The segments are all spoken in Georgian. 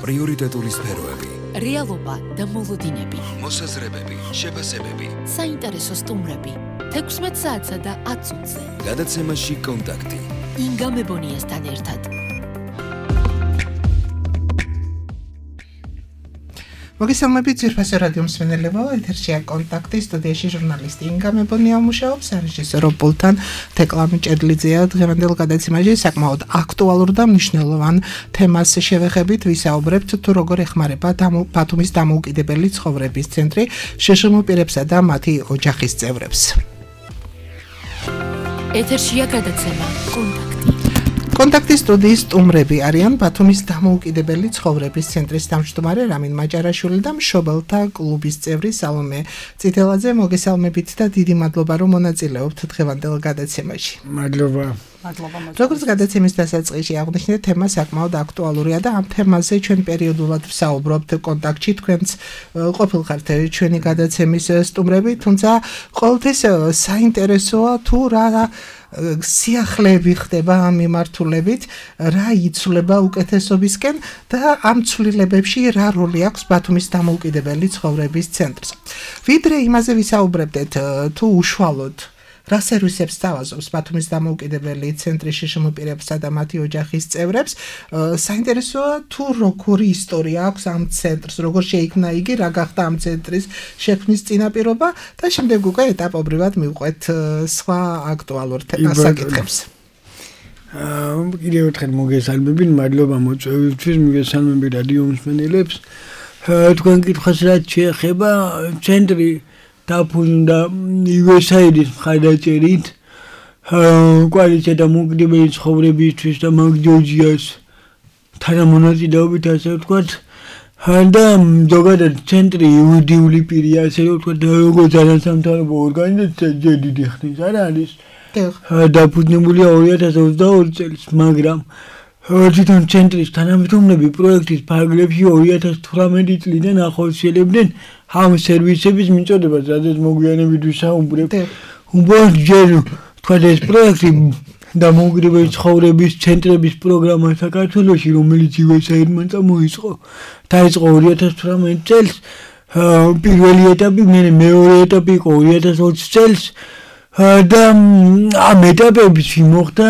პრიორიტეტული სფეროები, რეალობა და მოლოდინები, მოსაზრებები, შეფასებები, საინტერესო სტუმრები, 16 საათსა და 10 წუთზე. გადაცემაში კონტაქტი. ინგა მებონიასთან ერთად. მოგესალმებით ძვირფასო რადიო მსმენელებო, ეთერშია კონტაქტი, სტუდიაში ჟურნალისტი ინგა მებონია მუშაობს, რეჟისორი პულთან თეკლა მიჭედლიძეა. დღევანდელ გადაცემაში საკმაოდ აქტუალურ და მნიშვნელოვან თემას შევეხებით, ვისაუბრებთ თუ როგორ ეხმარება ბათუმის დამოუკიდებელი ცხოვრების ცენტრი შშმ პირებსა და მათი ოჯახის წევრებს. ეთერშია გადაცემა კონტაქტი. კონტაქტის სტუდიის სტუმრები არიან ბათუმის დამოუკიდებელი ცხოვრების ცენტრის თავმჯდომარე რამინ მაჭარაშვილი და მშობელთა კლუბის წევრი სალომე წითელაძე. მოგესალმებით და დიდი მადლობა რომ მონაწილეობთ დღევანდელ გადაცემაში. მადლობა. როგორც გადაცემის დასაწყისში აღნიშნეთ, თემა საკმაოდ აქტუალურია და ამ თემაზე ჩვენ პერიოდულად ვსაუბრობთ კონტაქტში. თქვენც ყოფილხართ ჩვენი გადაცემის სტუმრები, თუმცა ყოველთვის საინტერესოა თუ რა სიახლეები ხდება ამ მიმართულებით, რა იცვლება უკეთესობისკენ და ამ ცვლილებებში რა როლი აქვს ბათუმის დამოუკიდებელი ცხოვრების ცენტრს. ვიდრე იმაზე ვისაუბრებდეთ, თუ უშუალოდ რა სერვისებს სთავაზობს ბათუმის დამოუკიდებელი ცენტრი შშმ პირებსა და მათი ოჯახის წევრებს, საინტერესოა თუ როგორი ისტორია აქვს ამ ცენტრს, როგორ შეიქმნა იგი, რა გახდა ამ ცენტრის შექმნის წინაპირობა და შემდეგ უკვე ეტაპობრივად მივყვეთ სხვა აქტუალურ საკითხებს. კიდევ ერთხელ მოგესალმებით, მადლობა მოწვევისთვის, მოგესალმებით რადიო მსმენელებს. თქვენ კითხვას რაც შეეხება ცენტრი დაფუძნდა USAID-ის მხარდაჭერით კოალიცია დამოუკიდებელი ცხოვრებისთვის და მაგ ჯორჯიას თანამონაწილეობით, ასე ვთქვათ, და ზოგადად ცენტრი იურიდიული პირია, ასე ვთქვათ, როგორც არასამთავრობო ორგანიზაცია ჯერ დიდი ხნის არ არის დაფუძნებულია 2022 წელს, მაგრამ თვითონ ცენტრის თანამშრომლები პროექტის ფარგლებში 2018 წლიდან ახორციელებდნენ ამ სერვისების მიწოდებას, რადგან მოგვიანებით ვისაუბრებ. უბრალოდ ჯერ თქვათ ეს პროექტი დამოუკიდებელი ცხოვრების ცენტრების პროგრამა საქართველოში, რომელიც USAID-მან წამოიწყო, დაიწყო 2018 წელს. პირველი ეტაპი, მეორე ეტაპი იყო 2020 წელს. და ამ ეტაპებში მოხდა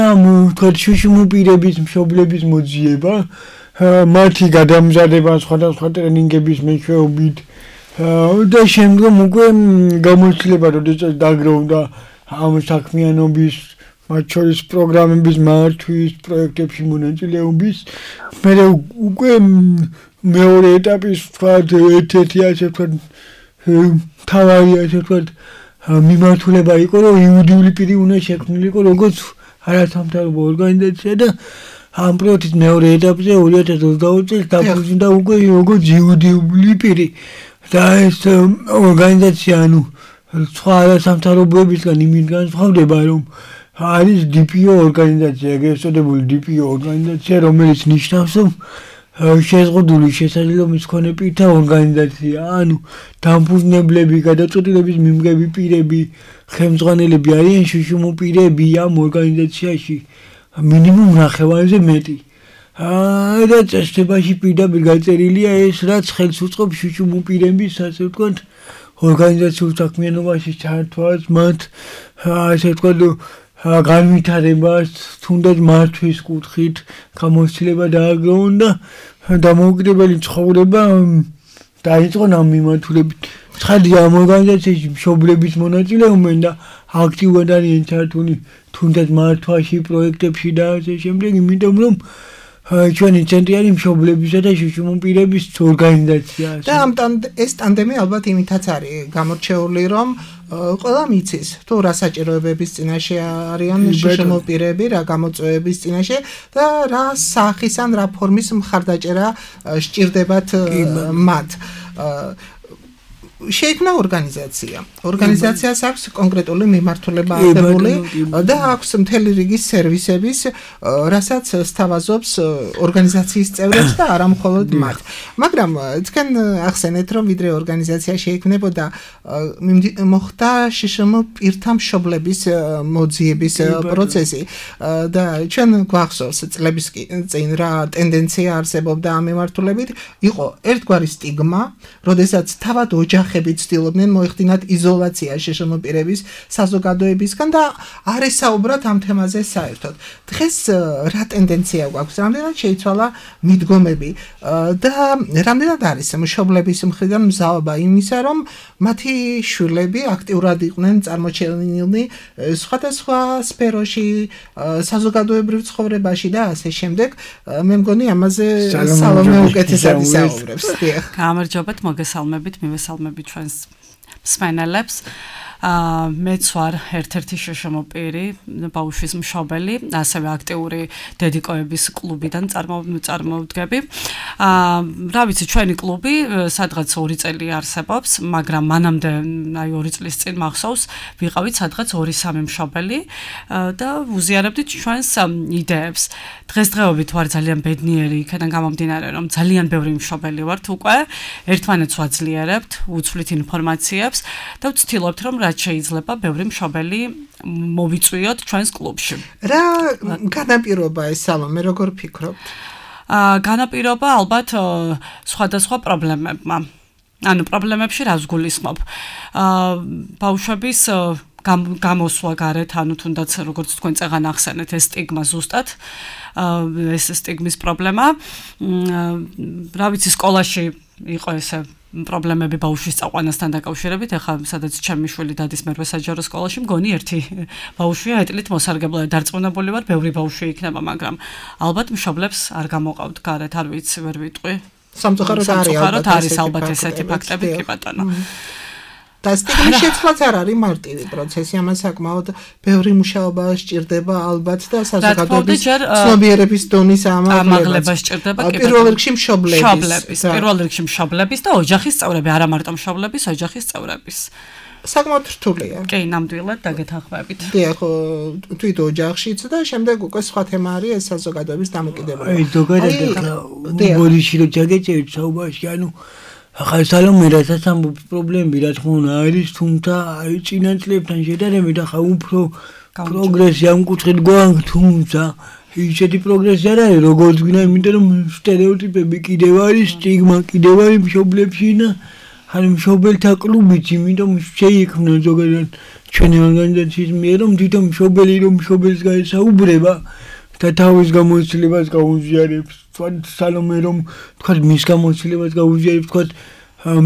თქვათ შშმ პირების მშობლების მოძიება, მათი გადამზადება სხვადასხვა ტრენინგების მეშვეობით და შემდგომ უკვე გამოცდილება, როდესაც დაგროვდა ამ საქმიანობის, მათ შორის პროგრამების მართვის, პროექტებში მონაწილეობის, მერე უკვე მეორე ეტაპის თქვათ ერთ-ერთი ასე ვთქვათ თავარი ასე ვთქვათ მიმართულება იყო, რომ იურიდიული პირი უნდა შექმნილიყო როგორც არასამთავრობო ორგანიზაცია და ამ პროექტის მეორე ეტაპზე 2022 წელს დაფუძნდა უკვე როგორც იურიდიული პირი და ეს ორგანიზაცია სხვა არასამთავრობოებისგან იმით განსხვავდება, რომ არის DPO ორგანიზაცია, ეგრეთ წოდებული DPO ორგანიზაცია, რომელიც ნიშნავს, რომ შეზღუდული შესაძლებლობის მქონე პირთა ორგანიზაცია, დამფუძნებლები, გადაწყვეტილების მიმღები პირები, ხელმძღვანელები არიან შშმ პირები ამ ორგანიზაციაში მინიმუმ ნახევარზე მეტი. და წესდებაში პირდაპირ გაწერილია ეს, რაც ხელს უწყობს შშმ პირების, ასე ვთქვათ, ორგანიზაციულ საქმიანობაში ჩართვას, მათ ასე ვთქვათ განვითარებას, თუნდაც მართვის კუთხით გამოცდილება დააგროვონ და დამოუკიდებელი ცხოვრება დაიწყო ამ მიმართულებით. ცხადია, ამ ორგანიზაციაში მშობლების მონაწილეობენ და აქტიურად არიან ჩართული თუნდაც მართვაში, პროექტებში და ასე შემდეგ, იმიტომ რომ ჩვენი ცენტრი არის მშობლებისა და შშმ პირების ორგანიზაცია. და ეს ტანდემი ალბათ იმითაც არის გამორჩეული, რომ ყველა მიცის თუ რა საჭიროებების წინაშე არიან შშმ პირები, რა გამოწვევების წინაშე და რა სახის ან რა ფორმის მხარდაჭერა სჭირდებათ მათ. შეიქმნა ორგანიზაცია. ორგანიზაციას აქვს კონკრეტული მიმართულება აღებული და აქვს მთელი რიგი სერვისების, რასაც სთავაზობს ორგანიზაციის წევრებს და არა მხოლოდ მათ. მაგრამ თქვენ ახსენეთ რომ ვიდრე ორგანიზაცია შეიქმნებოდა მოხდა შშმ პირთა მშობლების მოძიების პროცესი და ჩვენ გვახსოვს წლების წინ რა ტენდენცია არსებობდა ამ მიმართულებით იყო ერთგვარი სტიგმა როდესაც თავად ოჯახები ცდილობდნენ მოეხდინათ იზოლაცია შშმ პირების საზოგადოებისგან და არ ესაუბრათ ამ თემაზე საერთოდ დღეს რა ტენდენცია გვაქვს რამდენად შეიცვალა მიდგომები და რამდენად არის მშობლების მხრიდან მზაობა იმისა რომ მათი შვილები აქტიურად იყვნენ წარმოჩენილნი სხვადასხვა სფეროში საზოგადოებრივ ცხოვრებაში და ასე შემდეგ მე მგონი ამაზე სალომე უკეთესად ისაუბრებს გამარჯობათ მოგესალმებით მივესალმებით ჩვენს მსმენელებს მეც ვარ ერთ-ერთი შშმ პირი ბავშვის მშობელი ასევე აქტიური დედიკოების კლუბიდან წარმოვდგები რა ვიცი ჩვენი კლუბი სადღაც 2 წელი არსებობს მაგრამ მანამდე აი 2 წლის წინ მახსოვს ვიყავით სადღაც 2-3 მშობელი და ვუზიარებდით ჩვენს იდეებს დღესდღეობით ვარ ძალიან ბედნიერი იქიდან გამომდინარე რომ ძალიან ბევრი მშობელი ვართ უკვე ერთმანეთს ვაძლიერებთ უცვლით ინფორმაციებს და ვცდილობთ რომ შეიძლება ბევრი მშობელი მოვიწვიოთ ჩვენს კლუბში. რა განაპირობა ეს სალომე როგორ ფიქრობთ? განაპირობა ალბათ სხვადასხვა პრობლემებმა. ანუ პრობლემებში რას გულისხმობ? ბავშვების გამოსვლა გარეთ, ანუ თუნდაც როგორც თქვენ წეგან ახსენეთ, ეს სტიგმა ზუსტად ეს სტიგმის პრობლემა. რა ვიცი სკოლაში იყო ესე პრობლემები ბავშვის წაყვანასთან დაკავშირებით, ახლა სადაც ჩემი შვილი დადის მერვე საჯარო სკოლაში, მგონი ერთი ბავშვია ეტლით მოსარგებლად დარწმუნებული ვარ, ბევრი ბავშვი იქნება, მაგრამ ალბათ მშობლებს არ გამოყავთ გარეთ, არ ვიცი, ვერ ვიტყვი. სამწუხაროდ არის ალბათ ესეთი ფაქტები, კი ბატონო. და სტიგმის შეცვლაც არ არის მარტივი პროცესი, ამას საკმაოდ ბევრი მუშაობა სჭირდება ალბათ და საზოგადოების ცნობიერების დონის ამაღლება სჭირდება პირველ რიგში მშობლების პირველ რიგში მშობლების და ოჯახის წევრები, არა მარტო მშობლების, ოჯახის წევრების. საკმაოდ რთულია. კი, ნამდვილად დაგეთანხმებით. დიახ, თვით ოჯახშიც და შემდეგ უკვე სხვა თემა არის ეს საზოგადოების დამოკიდებულება. აი, ზოგადად ბოდიში რო ჩაგეჭერთ საუბარში, ანუ ახლა სალომე რასაც ამბობს პრობლემები რა თქმა უნდა არის თუმცა აი წინა წლებთან შედარებით ახლა უფრო პროგრესი ამ კუთხით გვაქვს თუმცა ისეთი პროგრესი არ არის როგორც გვინდა იმიტომ რომ სტერეოტიპები კიდევ არის სტიგმა კიდევ არის მშობლებში და ან მშობელთა კლუბიც იმიტომ შეიქმნა ზოგადად ჩვენი ორგანიზაციის მიერ რომ თვითონ მშობელი რომ მშობელს გაესაუბრება და თავის გამოცდილებას გაუზიარებს სალომე რომ თქვა მის გამოცდილებას გაუზიარებს თქვა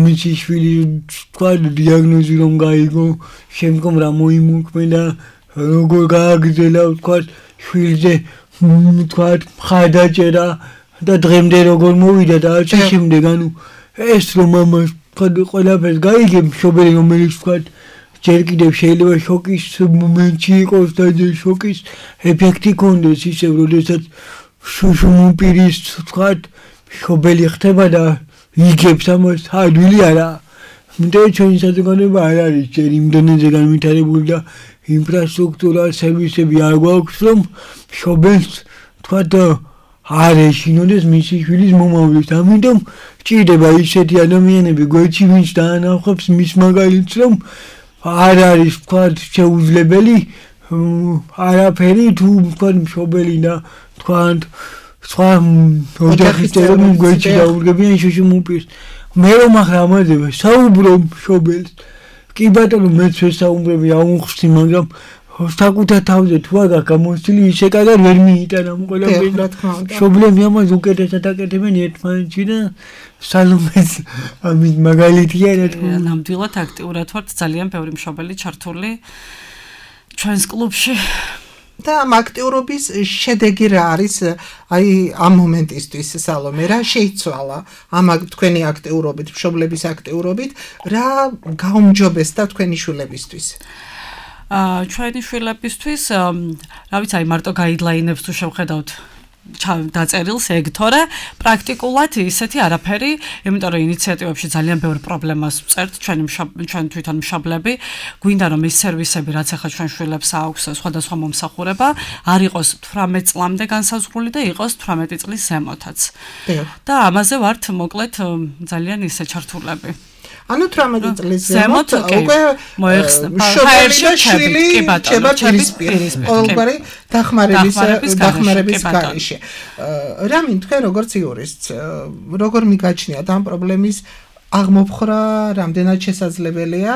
მისი შვილი თქვა დიაგნოზი რომ გაიგო შემდგომ რა მოიმოქმედა როგორ გააგრძელა თქვა შვილზე თქვა ხადაჭერა და დღემდე როგორ მოვიდა და ასე შემდეგ ანუ ეს რომ ამას თქვა ყველაფერს გაიგებ მშობელი რომელიც თქვა ჯერ კიდევ შეიძლება შოკის მომენტი იყოს და შოკის ეფექტი კონდეს ისევ როდესაც შუშუმპირის თქვა მშობელი ხდება და იგებს ამას ადვილი არა იმიტომ ჩვენი საზოგადოება არ არის ჯერ იმდენზე განვითარებული და ინფრასტრუქტურა სერვისები არ გვაქვს რომ მშობელს თქვა არ ეშინოდეს მისი შვილის მომავლის ამიტომ ჭირდება ისეთი ადამიანები გვერდში ვინც დაანახავს მის მაგალითს რომ არ არის თქვა შეუძლებელი არაფერი თუ თქვა მშობელი და თქვა სხვა ოჯახის წევრები გვერდში დაურგებიან შუშუმპირს მე რომ ახლა ამაზე საუბრობ მშობელს კი ბატონო მეც ვესაუბრები აუხსნი მაგრამ საკუთარ თავზე თუ არ გამოსილი ისე კარგად ვერ მიიტანა ყველაფერი მშობლები ამას უკეთესად აკეთებენ ერთმანეთში და სალომეს ამის მაგალითია რა თქმა უნდა ნამდვილად აქტიურად ვართ ძალიან ბევრი მშობელი ჩართული ჩვენს კლუბში და ამ აქტიურობის შედეგი რა არის აი ამ მომენტისთვის სალომე რა შეიცვალა ამ თქვენი აქტიურობით მშობლების აქტიურობით რა გაუმჯობესდა თქვენი შვილებისთვის ჩვენი შვილებისთვის რა ვიცი აი მარტო გაიდლაინებს თუ შევხედავთ დაწერილს ეგ, თორე პრაქტიკულად ისეთი არაფერი, იმიტომ რომ ინიციატივებში ძალიან ბევრ პრობლემას ვწერთ ჩვენ თვითონ მშობლები, გვინდა რომ ის სერვისები, რაც ახლა ჩვენ შვილებს აქვს სხვადასხვა მომსახურება, არ იყოს 18 წლამდე განსაზღვრული და იყოს 18 წლის ზემოთაც. და ამაზე ვართ მოკლედ ძალიან ისე ჩართულები. ანუ 18 წლის ზემოთ უკვე მოიხსნება შვილი ჩება პირისპირ დახმარების გარეშე. რამინ თქვენ როგორც იურისტ როგორ მიგაჩნიათ ამ პრობლემის აღმოფხრა რამდენად შესაძლებელია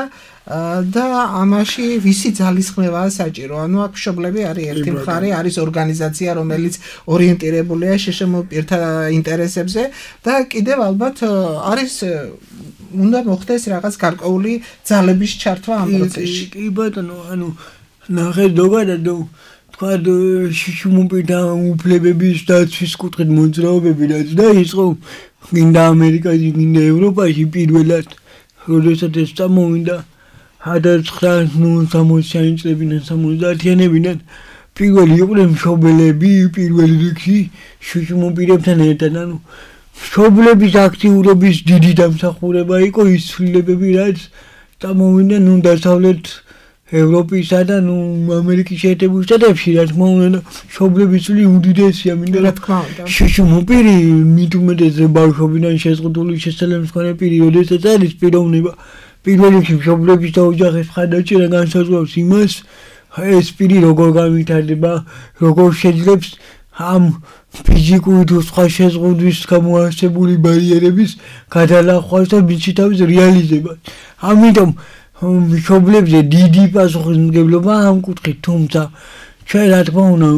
და ამაში ვისი ძალისხმევაა საჭირო? ანუ აქ მშობლები არის ერთი მხარე, არის ორგანიზაცია, რომელიც ორიენტირებულია შშმ პირთა ინტერესებზე და კიდევ ალბათ არის უნდა მოხდეს რაღაც გარკვეული ძალების ჩართვა ამ პროცესში. კი ბატონო, ანუ ნახე ზოგადად თქვა შშმ-პირთა უფლებების დაცვის კუთხით მოძრაობები რაც დაიწყო გინდა ამერიკაში, გინდა ევროპაში პირველად, როდესაც ეს წამოვიდა 1960-იანი წლებიდან 70-იანებიდან პირველი იყვნენ მშობლები პირველ რიგში შშმ-პირებთან ერთად, ანუ მშობლების აქტიურობის დიდი დამსახურება იყო ის ცვლილებები, რაც წამოვიდნენ დასავლეთ ევროპისა და ამერიკის შეერთებულ შტატებში, რა თქმა უნდა, მშობლების წვლილი უდიდესია, მინდა რა თქმა უნდა. შშმ-პირი მით უმეტეს ბავშვობიდან შეზღუდული შესაძლებელი პირი, როდესაც არის პიროვნება, პირველ რიგში მშობლების და ოჯახის მხარდაჭერა განსაზღვრავს იმას, ეს პირი როგორ განვითარდება, როგორ შეძლებს ამ ფიზიკური თუ სხვა შეზღუდვის გამოარსებული ბარიერების გადალახვას და მისი თავის რეალიზებას. ამიტომ მშობლებზე დიდი პასუხისმგებლობა ამ კუთხით, თუმცა ჩვენ რა თქმა უნდა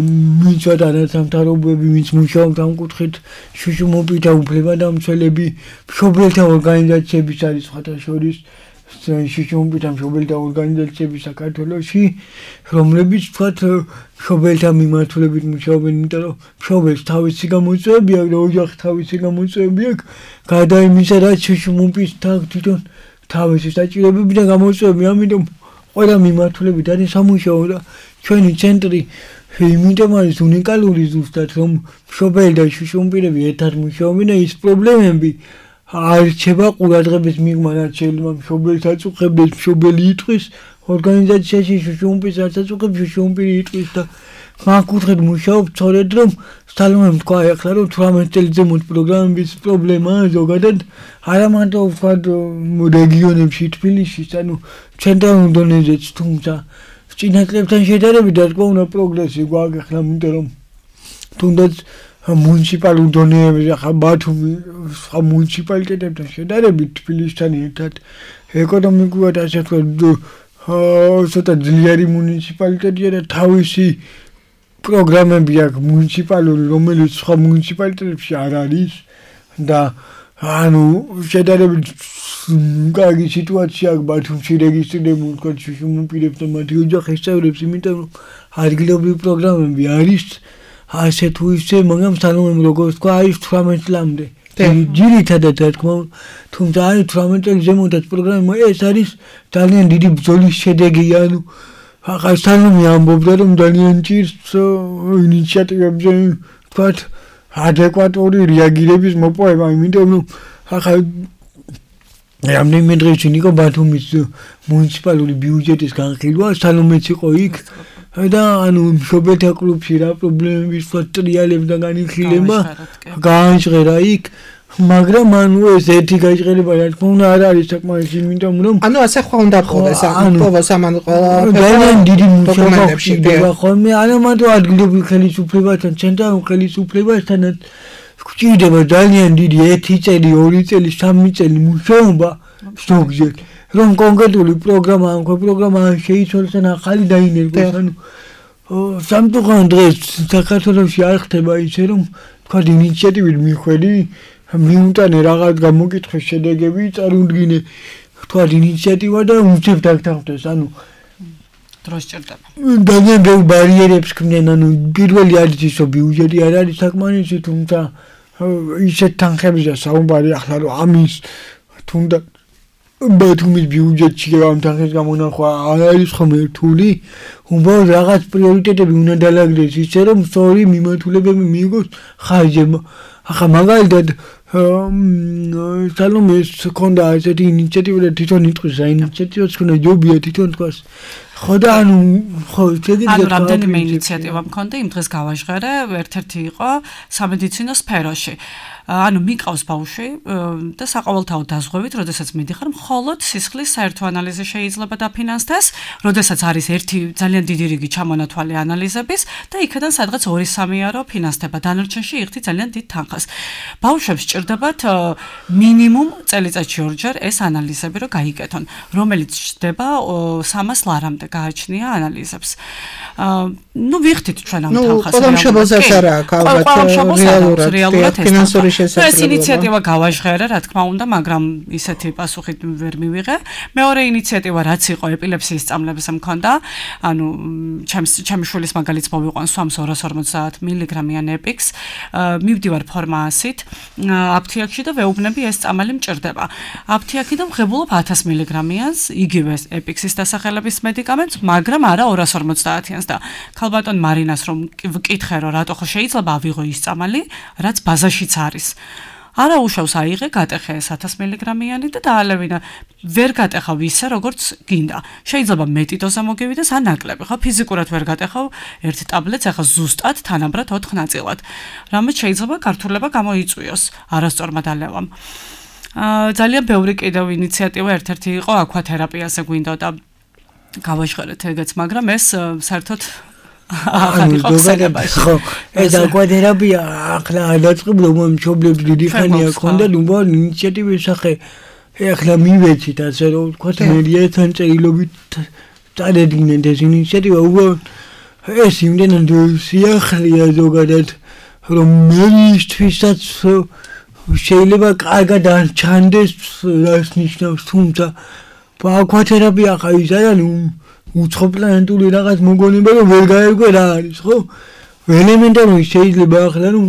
ვინც ვატარებთ სამთავროებები, ვინც მუშაობთ ამ კუთხით, შშმ-პირთა უფლებადამცველები, მშობელთა ორგანიზაციების არის სხვათა შორის შშმ-პირთა მშობელთა ორგანიზაციები საქართველოში, რომლებიც თქვათ მშობელთა მიმართულებით მუშაობენ, იმიტომ რომ მშობელს თავისი გამოწვევები აქვს და ოჯახს თავისი გამოწვევები აქვს, გარდა იმისა, რაც შშმ-პირთა თვითონ თავისი საჭიროებები და გამოწვევები, ამიტომ ყველა მიმართულებით არის სამუშაო და ჩვენი ცენტრი იმიტომ არის უნიკალური ზუსტად, რომ მშობელი და შშმ-პირები ერთად მუშაობენ და ის პრობლემები არ რჩება ყურადღების მიღმა, რაც შეიძლება მშობელს აწუხებდეს, მშობელი იტყვის ორგანიზაციაში შშმ-პირს რაც აწუხებს, შშმ-პირი იტყვის და მაგ კუთხით მუშაობ, სწორედ რომ სტალონემ თქვა ახლა რომ 18 წელს ზემოთ პროგრამების პრობლემაა ზოგადად არა მარტო ვთქვათ რეგიონებში, თბილისში, ანუ ცენტრალურ დონეზეც, თუმცა წინა წლებთან შედარებით რა თქმა უნდა პროგრესი გვაქვს ახლა, იმიტომ რომ თუნდაც მუნიციპალურ დონეებზე ახლა ბათუმი სხვა მუნიციპალიტეტებთან შედარებით თბილისთან ერთად ეკონომიკურად ასე ვთქვათ ცოტა ძლიერი მუნიციპალიტეტია და თავისი პროგრამები აქვს მუნიციპალური, რომელიც სხვა მუნიციპალიტეტებში არ არის და ანუ შედარებით კარგი სიტუაცია აქვს ბათუმში რეგისტრირებული ვთქვათ შშმ-პირებს და მათი ოჯახის წევრებს, იმიტომ რომ ადგილობრივი პროგრამები არის ასე თუ ისე, მაგრამ სტალონემ როგორც თქვა არის 18 წლამდე. ძირითადად რა თქმა უნდა, თუმცა არის 18 წელი ზემოდაც პროგრამა, ეს არის ძალიან დიდი ბრძოლის შედეგი, ანუ ახლა სტალონემი ამბობდა რომ ძალიან ჭირს ინიციატივებზე ვთქვათ ადეკვატური რეაგირების მოპოვება, იმიტომ რომ ახლა რამდენიმე დღეში იყო ბათუმის მუნიციპალური ბიუჯეტის განხილვა, სტალონემიც იყო იქ და ანუ მშობელთა კლუბში რა პრობლემების ტრიალებს და განხილება გააჟღერა იქ, მაგრამ ანუ ეს ერთი გაიჟღერება რა თქმა უნდა არ არის საკმარისი, იმიტომ რომ ანუ ასე ხო უნდა ყოლეს ამბობს ამან ყველა ძალიან დიდი მუშაობებში ხდება ხოლმე, არა მარტო ადგილობრივ ხელისუფლებასთან, ცენტრალურ ხელისუფლებასთანაც გვჭირდება ძალიან დიდი 1 წელი, 2 წელი, 3 წელი მუშაობა ზოგჯერ, რომ კონკრეტული პროგრამა შეიცვალოს და ახალი დაინერგოს, ანუ სამწუხაროდ დღეს საქართველოში არ ხდება ისე, რომ თქვათ ინიციატივით მიხვედი, მიუტანე რაღაც გამოკითხვის შედეგები, წარუდგინე თქვათ ინიციატივა და უცებ დაგთანხმდეს, ანუ დროს ჭირდება. ძალიან ბევრ ბარიერებს ქმნიან, ანუ პირველი არის ის, რომ ბიუჯეტი არ არის საკმარისი, თუმცა ისეთ თანხებზე საუბარი ახლა რომ ამის თუნდაც ბათუმის ბიუჯეტში ამ თანხის გამონახვა არ არის ხომ რთული, უბრალოდ რაღაც პრიორიტეტები უნდა დაალაგდეს ისე რომ სწორი მიმართულებები მიიღოს ხარჯებმა. ახლა მაგალითად სალომეს ქონდა ესეთი ინიციატივა და თვითონ იტყვის რა ინიციატივაც ქონდა ჯობია თვითონ თქვას. ხო და ანუ რამდენიმე ინიციატივა მქონდა იმ დღეს გავაჟღერე, ერთ-ერთი იყო სამედიცინო სფეროში. ანუ მიყავს ბავშვი და საყოველთაოდ დაზღვევით, როდესაც მიდიხარ, მხოლოდ სისხლის საერთო ანალიზი შეიძლება დაფინანსდეს, როდესაც არის ერთი ძალიან დიდი რიგი ჩამონათვალი ანალიზების და იქიდან სადღაც 2-3 ეურო ფინანსდება, დანარჩენში იღთი ძალიან დიდ თანხას. ბავშვებს სჭირდებათ მინიმუმ წელიწადში 2 ჯერ ეს ანალიზები რომ გაიკეთონ, რომელიც ჩდება 300 ლარამდე გააჩნია ანალიზებს. ნუ ვიხდით ჩვენ ამ თანხას. ყველა მშობელსაც არა აქვს ალბათ რეალურად ფინანსური შესაძლებლობა. ეს ინიციატივა გავაჟღერე, რა თქმა უნდა, მაგრამ ისეთი პასუხი ვერ მივიღე. მეორე ინიციატივა რაც იყო ეპილეფსიის სწავლების მქონდა, ანუ ჩემი შვილის მაგალითს მოვიყვან სვამს 250 მილიგრამიან ეპიქს, მივდივარ ფორმაასით, აფთიაქში და ვეუბნები ეს წამალი მჭირდება. აფთიაქიდან ვღებულობ 1000 მილიგრამიანს, იგივე ეპიქსის დასახელების მედიკამენტს, მაგრამ არა 250-იანს და ქალბატონ მარინას რომ ვკითხე რომ რატო ხო შეიძლება ავიღო ის წამალი, რაც ბაზაშიც არის. არა უშავს აიღე, გატეხე ეს 1000 მილიგრამიანი და დაალევინა. ვერ გატეხავ ისე, როგორც გინდა. შეიძლება მეტი დოზა მოგივიდეს, ან ნაკლები. ხო, ფიზიკურად ვერ გატეხავ ერთ ტაბლეტს, ახლა ზუსტად თანაბრად 4 ნაწილად. რამაც შეიძლება გართულება გამოიწვიოს არასწორმა დალევამ. ძალიან ბევრი კიდევ ინიციატივა ერთ-ერთი იყო აკვათერაპიაზე გვინდოდა გავაჟღერეთ ეგეც, მაგრამ ეს საერთოდ ხო, ეს აკვათერაპია ახლა დაწყებულა მომჩობლებს დიდი ხანია ქონდა, ნუ ინიციატივის სახე ახლა მივეცით ასე რომ ვთქვათ მერიათან წერილობით წარედგნენ ეს ინიციატივა, უბრალოდ ეს იმდენად სიახლეა ზოგადად რომ მერისთვისაც შეიძლება კარგად არ ჩანდეს რას ნიშნავს, თუმცა აკვათერაპია ხა ის არის უცხოპლანეტური რაღაც მოგონება რომ ვერ გაერგო რა არის, ხო? ელემენტარული შეიძლება ახლა რომ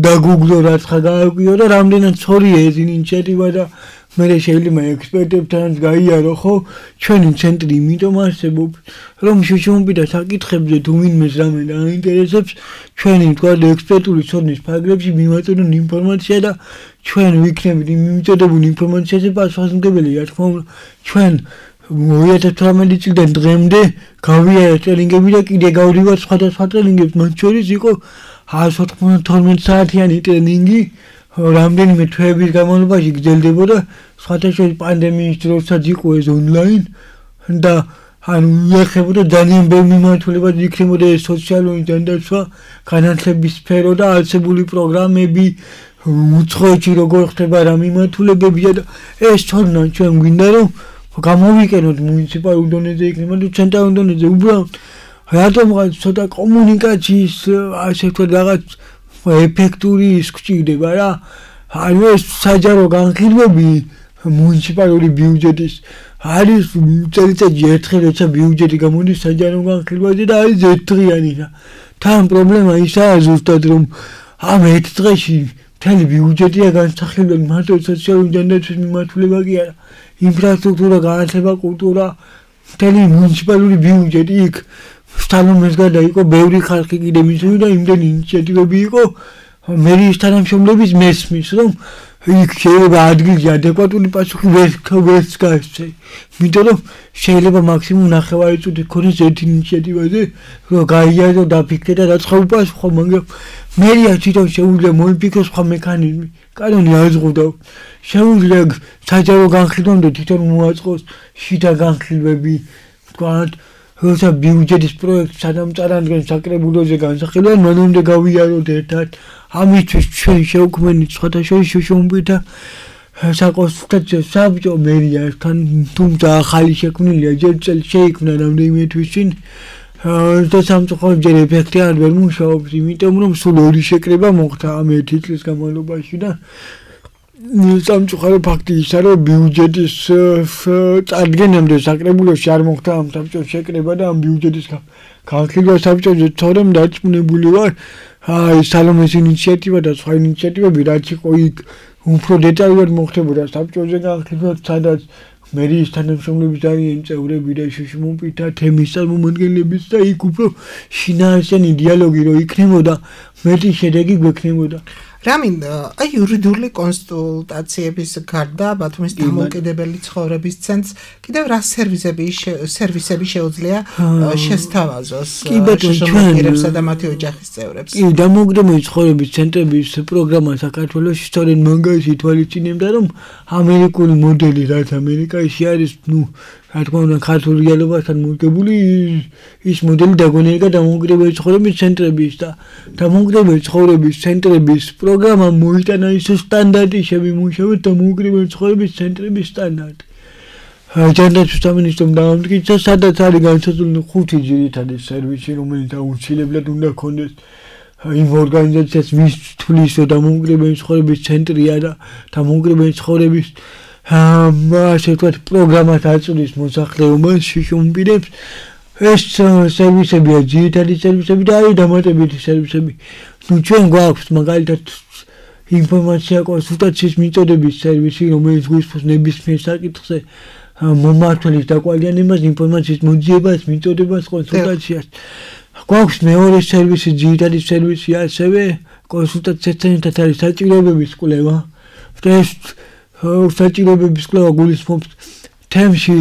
დაგუგლო რაც ხა გააკვიო და რამდენად სწორია ეს ინიციატივა და მე შეიძლება ექსპერტებთან გაიარო, ხო? ჩვენი ცენტრი იმიტომ არსებობს, რომ შუშუმები და საკითხებზე თუ ვინმეს რამე დაინტერესებს, ჩვენი თქვა ექსპერტული ცოდნის ფარგლებში მიმაწოდონ ინფორმაცია და ჩვენ ვიქნებით მიმწოდებული ინფორმაციაზე პასუხისმგებელი, რა თქმა უნდა, ჩვენ 2018 წლიდან დღემდე გავიარა ტრენინგები და კიდე გავდივარ სხვადასხვა ტრენინგებს, მათ შორის იყო 192 საათიანი ტრენინგი, რამდენიმე თვეების განმავლობაში გრძელდებოდა, სხვათა შორის პანდემიის დროსაც იყო ეს ონლაინ და ანუ ეხებოდა ძალიან ბევრი მიმართულება იქნებოდა ეს სოციალური დანდაცვა, განათლების სფერო და არსებული პროგრამები, უცხოეთში როგორ ხდება რა მიმართულებებია და ეს თორნან ჩვენ გვინდა რომ გამოვიკენოთ მუნიციპალურ დონეზე იქნება თუ ცენტრალურ დონეზე, უბრალოდ რატომღაც ცოტა კომუნიკაციის ასე ვთქვათ რაღაც ეფექტური ის გვჭირდება რა. ანუ ეს საჯარო განხილვები მუნიციპალური ბიუჯეტის არის წელიწადში ერთხელ როცა ბიუჯეტი გამოდის საჯარო განხილვაზე და არის ერთდღიანი და თან პრობლემა ისაა ზუსტად რომ ამ ერთ დღეში მთელი ბიუჯეტია განსახილველი მარტო სოციალური დანაცვის მიმართულება კი არა, ინფრასტრუქტურა, განათლება, კულტურა, მთელი მუნიციპალური ბიუჯეტი იქ სტალონეს გარდა იყო ბევრი ხალხი კიდე მისული და იმდენი ინიციატივები იყო მერიის თანამშრომლების მესმის რომ იქ შეიძლება ადგილზე ადეკვატური პასუხი ვერც გაეცე. იმიტომ რომ შეიძლება მაქსიმუმ 9 წუთი ქონდეს ერთ ინიციატივაზე რომ გაიაზრო დაფიქრე და რაცხა უპასუხო, მაგრამ მერია თვითონ შეუძლია მოიფიქროს სხვა მექანიზმი. კანონი აზღუდა. შეუძლია საჯარო განხილვამდე თვითონ მოაწყოს შიდა განხილვები, თქვათ როცა ბიუჯეტის პროექტს სანამ წარადგენს საკრებულოზე განსახილვა, მანამდე გავიაროთ ერთად. ამისთვის ჩვენ შევქმნით სხვათა შორის შუშუმები და საკონსულტაციო საბჭო მერიასთან, თუმცა ახალი შექმნილია, ჯერ წელს შეიქმნა რამდენიმე თვის წინ და სამწუხაროდ ჯერ ეფექტი არ ვერ მუშაობს, იმიტომ რომ სულ 2 შეკრება მოხდა ამ 1 წლის განმავლობაში და სამწუხარო ფაქტი ისაა, რომ ბიუჯეტის წარდგენამდე საკრებულოში არ მოხდა ამ საბჭოს შეკრება და ამ ბიუჯეტის განხილვა საბჭოზე თორემ დარწმუნებული ვარ, სალომეს ინიციატივა და სხვა ინიციატივები რაც იყო იქ უფრო დეტალურად მოხდებოდა საბჭოზე განხილვა, სადაც მერიის თანამშრომლები ძალიან წევრები და შუშმუპი და თემის წარმომადგენლების და იქ უფრო შინაარსიანი დიალოგი რო იქნებოდა, მეტი შედეგი გვექნებოდა. რამინ, აი იურიდიული კონსულტაციების გარდა ბათუმის დამოუკიდებელი ცხოვრების ცენტრს კიდევ რა სერვისები შეუძლია შესთავაზოს შრომისმოყვარეებსა და მათი ოჯახის წევრებს? კი, დამოუკიდებელი ცხოვრების ცენტრების პროგრამა საქართველოში სწორედ მაგას ითვალისწინებდა, რომ ამერიკული მოდელი, რაც ამერიკაში არის, რა თქმა უნდა, ქართულ რეალობასთან მორგებული ის მოდელი დაგონიერება დამოუკიდებელი ცხოვრების ცენტრების და დამოუკიდებელი ცხოვრების ცენტრების პროგრამა მოიტანა ის სტანდარტი შემიმუშავეთ დამოუკიდებელი ცხოვრების ცენტრების სტანდარტი. ჯანდაცვის სამინისტრომ დაამტკიცა, სადაც არის განსაზღვრული 5 ძირითადი სერვისი, რომელიც აუცილებლად უნდა ქონდეს იმ ორგანიზაციას, ვის თვლის დამოუკიდებელი ცხოვრების ცენტრია და დამოუკიდებელი ცხოვრების ასე ვთქვათ, პროგრამას აწვდის მოსახლეობას, შიშუმპირებს. ეს სერვისებია ძირითადი სერვისები და არის დამატებითი სერვისები. ჩვენ გვაქვს მაგალითად ინფორმაცია კონსულტაციის მიწოდების სერვისი, რომელიც გვისურვებს ნებისმიერ საკითხზე მომმართველის დაკვალიანებას, ინფორმაციის მოძიებას, მიწოდებას, კონსულტაციას. გვაქვს მეორე სერვისი, ძირითადი სერვისი, ასევე კონსულტაციასთან ერთად არის საჭიროებების კვლევა. ეს საჭიროებების კვლევა გულისხმობს თემში,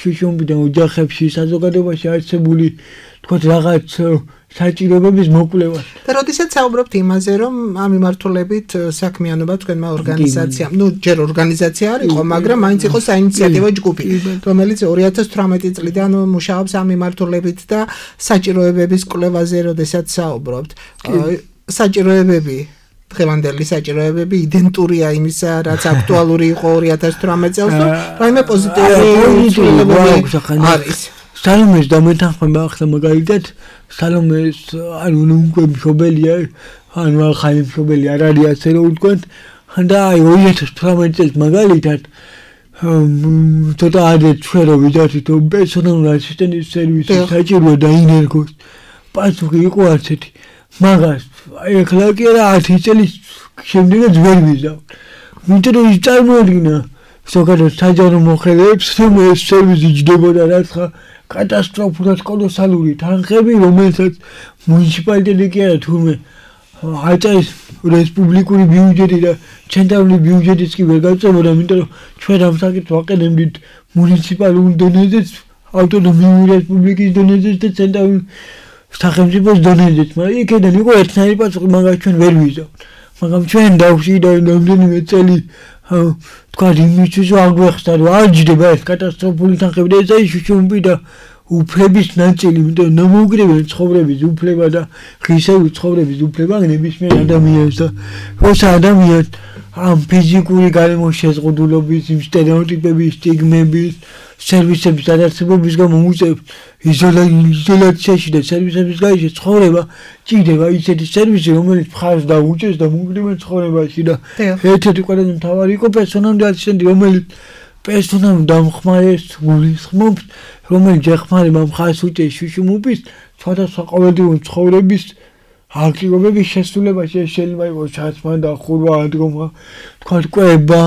შიშუმპიდან ოჯახებში, საზოგადოებაში არსებული, თქვათ, რაღაც საჭიროებების მოკვლევას. და როდესაც საუბრობთ იმაზე, რომ ამ მიმართულებით საქმიანობა თქვენმა ორგანიზაციამ, ჯერ ორგანიზაცია არ იყო, მაგრამ მაინც იყო საინიციატივო ჯგუფი, რომელიც 2018 წლიდან მუშაობს ამ მიმართულებით და საჭიროებების კვლევაზე, როდესაც საუბრობთ. საჭიროებები დღევანდელი საჭიროებები იდენტურია იმისა, რაც აქტუალური იყო 2018 წელს, რაიმე პოზიტიური არის. სალომეს დამეთანხმება ახლა მაგალითად, სალომეს უკვე მშობელია, ახალი მშობელი არ არის ასე რომ ვთქვათ, და აი 2018 წელს მაგალითად ცოტა ადრე ჩვენ რომ ვიდართით პერსონალური ასისტენტის სერვისი საჭიროა და ინერგოს პასუხი იყო ასეთი. მაგას ეხლა კი არა 10 წელი შემდეგაც ვერ ვიზავ. იმიტომ რომ ის წარმოადგინა ზოგადად საჯარო მოხელეებს, რომ ეს სერვისი ჯდებოდა რაცხა კატასტროფულად კოლოსალური თანხები, რომელსაც მუნიციპალიტეტი კი არა თურმე აწეს რესპუბლიკური ბიუჯეტი და ცენტრალური ბიუჯეტიც კი ვერ გაწევოდა, იმიტომ რომ ჩვენ ამ საკითხს ვაყენებდით მუნიციპალურ დონეზეც, ავტონომიური რესპუბლიკის დონეზეც და ცენტრალური სახელმწიფოს დონეზეც, მაგრამ იქიდან იყო ერთნაირი პასუხი, მაგას ჩვენ ვერ ვიზავთ. მაგრამ ჩვენ დავშიდა რამდენიმე წელი თქვათ იმისთვის აგვეხსნა, რომ არ ჯდება ეს კატასტროფული თანხები და ეს შუშუმპი და უფლების ნაწილი, იმიტომ რომ დამოუკიდებელი ცხოვრების უფლება და ღირსეული ცხოვრების უფლება ნებისმიერ ადამიანს და როცა ადამიანს ამ ფიზიკური გარემოს შეზღუდულობის, იმ სტერეოტიპების, სტიგმების, სერვისების ადარსებობის გამო უწევს იზოლაციაში და სერვისების გარეშე ცხოვრება, ჭირდება ისეთი სერვისი, რომელიც მხარს დაუჭერს დამოუკიდებელ ცხოვრებაში და ერთ-ერთი ყველაზე მთავარი იყო პერსონალური ასისტენტი, რომელიც პერსონალურ დამხმარეს გულისხმობს, რომელიც ეხმარება მხარს უჭერს შუშუმუპის სხვადასხვა ყოველდღიური ცხოვრების აქტივობების შესრულებაში. ეს შეიძლება იყოს ჩაცმა და ხურვა ადგომა, თქვათ კვება,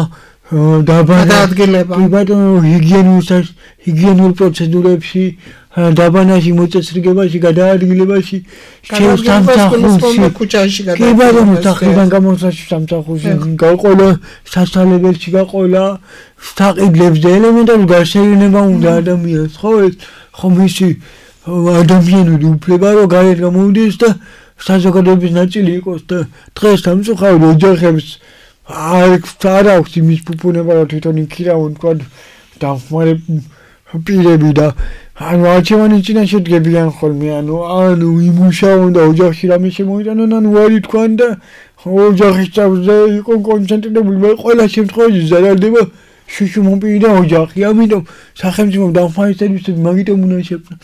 გადაადგილება, ჰიგიენურ პროცედურებში, დაბანაში, მოწესრიგებაში, გადაადგილებაში, ქუჩაში სახრიდან გამოსვლაში სამსახურში გაყოლა, სასწავლებელში გაყოლა, საყიდლებს და ელემენტარული გაშენება უნდა ადამიანს, ხო ეს ხომ ისი ადამიანური უფლება რომ გარეთ გამოვიდეს და საზოგადოების ნაწილი იყოს და დღეს სამწუხაროდ ოჯახებს არ აქვს იმის ფუფუნება რომ თვითონ იქირავონ თქვა დამხმარე პირები და ანუ არჩევანის წინაშე დგებიან ხოლმე ანუ იმუშაონ და ოჯახში რამე შემოიტანონ ანუ ვარი თქვან და ოჯახის წევრზე იყო კონცენტრირებული მე ყველა შემთხვევაში ზარალდება შუშუმუპი და ოჯახი ამიტომ სახელმწიფო დამხმარე სერვისები მაგიტომ უნდა შექმნას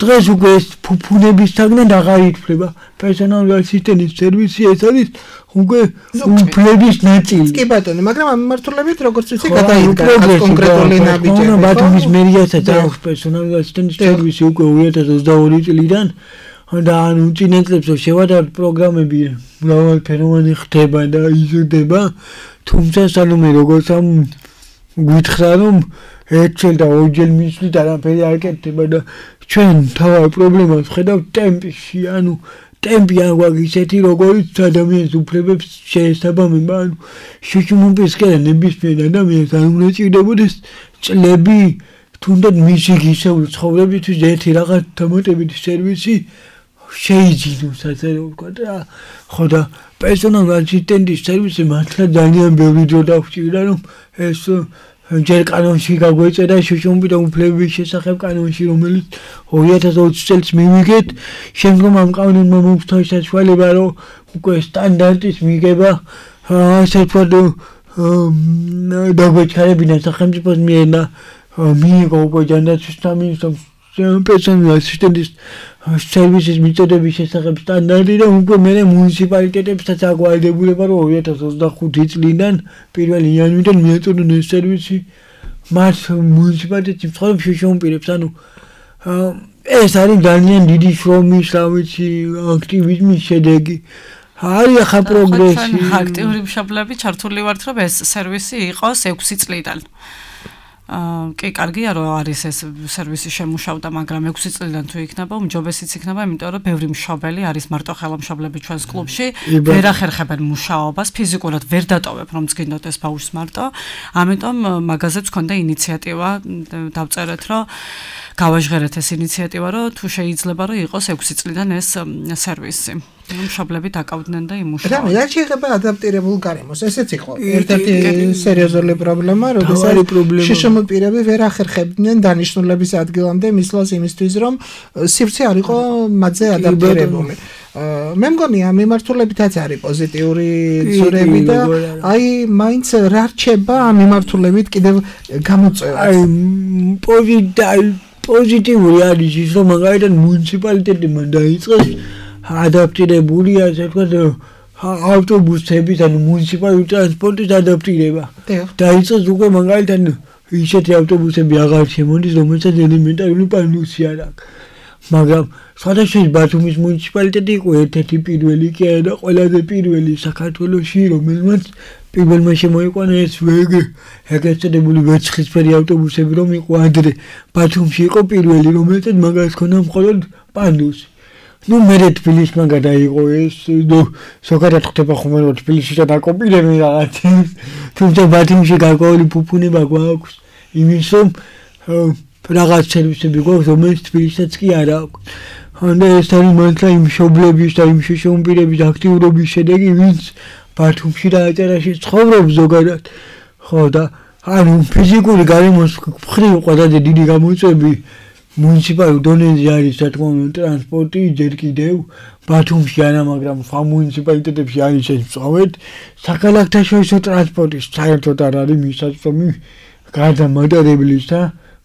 დღეს უკვე ეს ფუფუნების საგნად აღარ ითვლება პერსონალური ასისტენტის სერვისი ეს არის უკვე უფლების ნაწილი. კი ბატონო, მაგრამ ამ მიმართულებით როგორც ვიცი გადაიდგა კონკრეტული ნაბიჯები. ბათუმის მერიასაც აქვს პერსონალური ასისტენტის სერვისი უკვე 2022 წლიდან. და ანუ წინა წლებს შევადართ პროგრამები მრავალფეროვანი ხდება და იზრდება, თუმცა სანამ მე როგორც ამ გითხრა რომ ერთჯერ და ორჯერ მისვლით არაფერი არ კეთდება და ჩვენ თავად პრობლემას ვხედავთ ტემპში, ანუ ტემპი არ გვაქვს ისეთი, როგორც ადამიანის უფლებებს შეესაბამება, ანუ შუშუმობისკენ ნებისმიერ ადამიანს არ უნდა ჭირდებოდეს წლები, თუნდაც მისი გისეული ცხოვრებისთვის ერთი რაღაც დამატებითი სერვისი შეიძინოს, ასე რომ ვთქვა და ხო და პერსონალ ასისტენტის სერვისი მართლა ძალიან ბევრი დრო დაგვჭირდა, რომ ეს ჯერ კანონში გაგვეწერა შუშუმობი და უფლებების შესახებ კანონში, რომელიც 2020 წელს მივიგეთ, შემდგომ ამ კანონმა მოვსთა საშუალება, რომ უკვე სტანდარტის მიღება ასე ვთქვათ დაგვეჩქარებინა სახელმწიფოს მიერ და მიიღო უკვე ჯანდაცვის სამინისტრომ პერსონალ ასისტენტის სერვისის მიწოდების შესახებ სტანდარტი და უკვე მე მუნიციპალიტეტებსაც აგვარდებულება, რომ 2025 წლიდან 1 იანვრიდან მიეწოდონ ეს სერვისი მათ მუნიციპალიტეტში მცხოვრებ შუშუმპირებს, ანუ ეს არის ძალიან დიდი შრომის, რა ვიცი, აქტივიზმის შედეგი. არის ახლა პროგრესი. აქტიური მშობლები ჩართული ვართ, რომ ეს სერვისი იყოს 6 წლიდან. კი, კარგია, რომ არის ეს სერვისი შემუშავდა, მაგრამ 6 წლიდან თუ იქნება, უმჯობესიც იქნება, იმიტომ რომ ბევრი მშობელი არის მარტო ხელმშობლები ჩვენს კლუბში, ვერ ახერხებენ მუშაობას, ფიზიკურად ვერ დატოვებ, რომ წგინდოთ ეს ბავშვს მარტო. ამიტომ მაგაზეც ქონდა ინიციატივა, დავწერეთ, რომ გავაჟღერეთ ეს ინიციატივა, რომ თუ შეიძლება, რომ იყოს 6 წლიდან ეს სერვისი. მშობლები დაკავდნენ და იმუშავდნენ. რა შეიძლება ადაპტირებულ გარემოს, ესეც იყო ერთ-ერთი სერიოზული პრობლემა, როდესაც შუშუმპირები ვერ ახერხებდნენ დანიშნულების ადგილამდე მისვლას იმისთვის, რომ სივრცე არ იყო მათზე ადაპტირებული. მე მგონი ამ მიმართულებითაც არის პოზიტიური ძვრები და აი მაინც რა რჩება ამ მიმართულებით კიდევ გამოწვევად. პოზიტიური არის ის, რომ მაგალითად მუნიციპალიტეტებმა დაიწყეს ადაპტირებული, ასე ვთქვათ, ავტობუსების, ანუ მუნიციპალური ტრანსპორტის ადაპტირება. დაიწყეს უკვე მაგალითად ისეთი ავტობუსები აღარ შემოდის, რომელსაც ელემენტარული პანუსი არ აქვს. მაგრამ სხვადასხვა ბათუმის მუნიციპალიტეტი იყო ერთ-ერთი პირველი კი არა და ყველაზე პირველი საქართველოში, რომელმაც პირველმა შემოიყვანა ეს ეგრეთ წოდებული ვერცხლისფერი ავტობუსები, რომ იყო ადრე ბათუმში იყო პირველი, რომელსაც მაგას ჰქონდა მხოლოდ პანუსი. ნუ მე თბილისმა გადაიღო ეს, ზოგადად ხდება ხოლმე რომ თბილისში დაკოპირებენ რაღაცებს, თუმცა ბათუმში გარკვეული ფუფუნება გვაქვს იმის, რომ რაღაც სერვისები გვაქვს, რომელიც თბილისსაც კი არ აქვს. და ეს არის მართლა იმ მშობლების და იმ შუშუმპირების აქტიურობის შედეგი, ვინც ბათუმში და აჭარაში ცხოვრობს ზოგადად. ხო და ანუ ფიზიკური გარემოს მხრივ ყველაზე დიდი გამოწვევები მუნიციპალურ დონეზე არის, რა თქმა უნდა, ტრანსპორტი, ჯერ კიდევ ბათუმში არა, მაგრამ სხვა მუნიციპალიტეტებში არის ეს მწვავედ. საქალაქთაშორისო ტრანსპორტის საერთოდ არ არის მისაწვდომი გარდა მატარებლისა,